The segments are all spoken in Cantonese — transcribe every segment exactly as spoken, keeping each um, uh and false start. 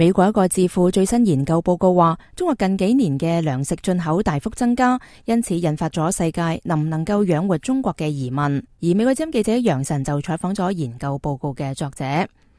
美國一個智庫最新研究報告話，中國近幾年嘅糧食進口大幅增加，因此引發咗世界能唔能夠養活中國嘅疑問。而美國之音記者楊晨就採訪咗研究報告嘅作者。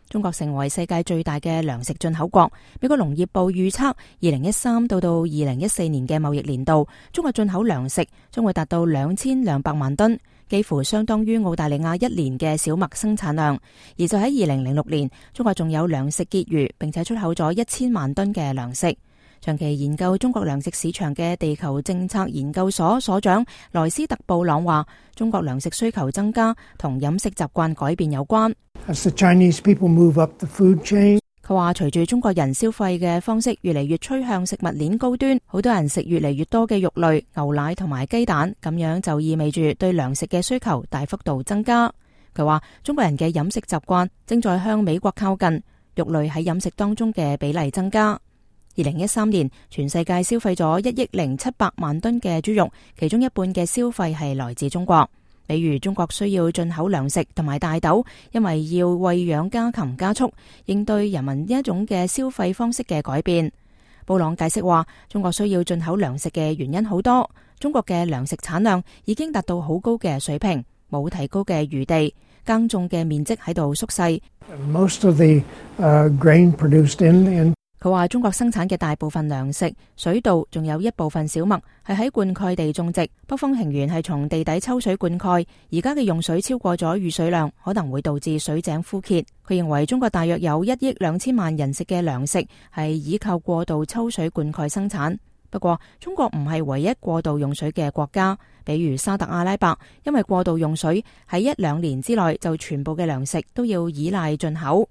中國成為世界最大嘅糧食進口國，美國農業部預測，二零一三到到二零一四年嘅貿易年度，中國進口糧食將會達到兩千兩百萬噸，幾乎相當於澳大利亞一年嘅小麥生產量。而就喺二零零六年，中國仲有糧食結餘，並且出口咗一千萬噸嘅糧食。長期研究中國糧食市場嘅地球政策研究所所長萊斯特布朗話，中國糧食需求增加同飲食習慣改變有關。As the Chinese people move up the food chain，佢話隨住中國人消費嘅方式越嚟越趨向食物鏈高端，好多人食越嚟越多嘅肉類、牛奶同埋雞蛋，咁樣就意味住對糧食嘅需求大幅度增加。佢話中國人嘅飲食習慣正在向美國靠近，肉類喺飲食當中嘅比例增加。二零一三年，全世界消費咗一億零七百萬噸嘅豬肉，其中一半嘅消費係來自中國。比如中國需要進口糧食同埋大豆，因為要餵養家禽家畜，應對人民呢一種嘅消費方式嘅改變。布朗解釋話，中國需要進口糧食嘅原因好多，中國嘅糧食產量已經達到好高嘅水平，冇提高嘅餘地，耕種嘅面積喺度縮細。Most of the, uh, grain produced in, in 佢話中國生產嘅大部分糧食、水稻，仲有一部分小麥係喺灌溉地種植，北方平原係從地底抽水灌溉。而家嘅用水超過咗雨水量，可能會導致水井枯竭。佢認為中國大約有一億兩千萬人食嘅糧食係依靠過度抽水灌溉生產。不過中國唔係唯一過度用水嘅國家，比如沙特阿拉伯，因為過度用水喺一兩年之內就全部嘅糧食都要依賴進口。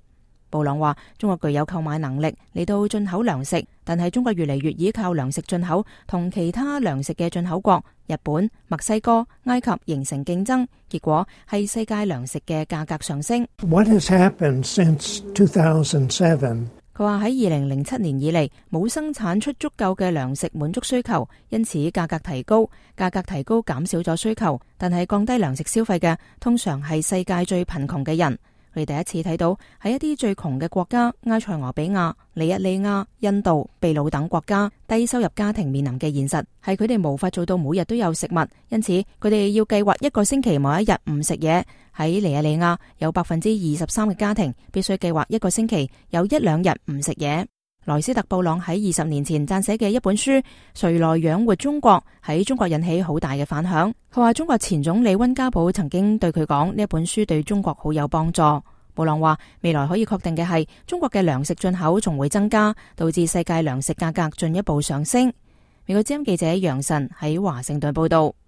布朗話，中國具有購買能力嚟到進口糧食，但係中國越嚟越依靠糧食進口，同其他糧食嘅進口國日本、墨西哥、埃及形成競爭，結果係世界糧食嘅價格上升。What has happened since two thousand seven？ 佢話喺二零零七年以嚟冇生產出足夠嘅糧食滿足需求，因此價格提高，價格提高減少咗需求，但係降低糧食消費嘅通常係世界最貧窮嘅人。佢哋第一次睇到喺一啲最窮嘅國家，埃塞俄比亞、尼日利亞、印度、秘魯等國家，低收入家庭面臨嘅現實係佢哋無法做到每日都有食物，因此佢哋要計劃一個星期某一日唔食嘢。喺尼日利亞有百分之二十三嘅家庭必須計劃一個星期有一兩日唔食嘢。萊斯特布朗喺二十年前撰寫嘅一本書《誰來養活中國》喺中國引起好大嘅反響。佢話中國前總理溫家寶曾經對佢講，呢一本書對中國好有幫助。布朗話未來可以確定嘅係，中國嘅糧食進口仲會增加，導致世界糧食價格進一步上升。美國之音記者楊晨喺華盛頓報道。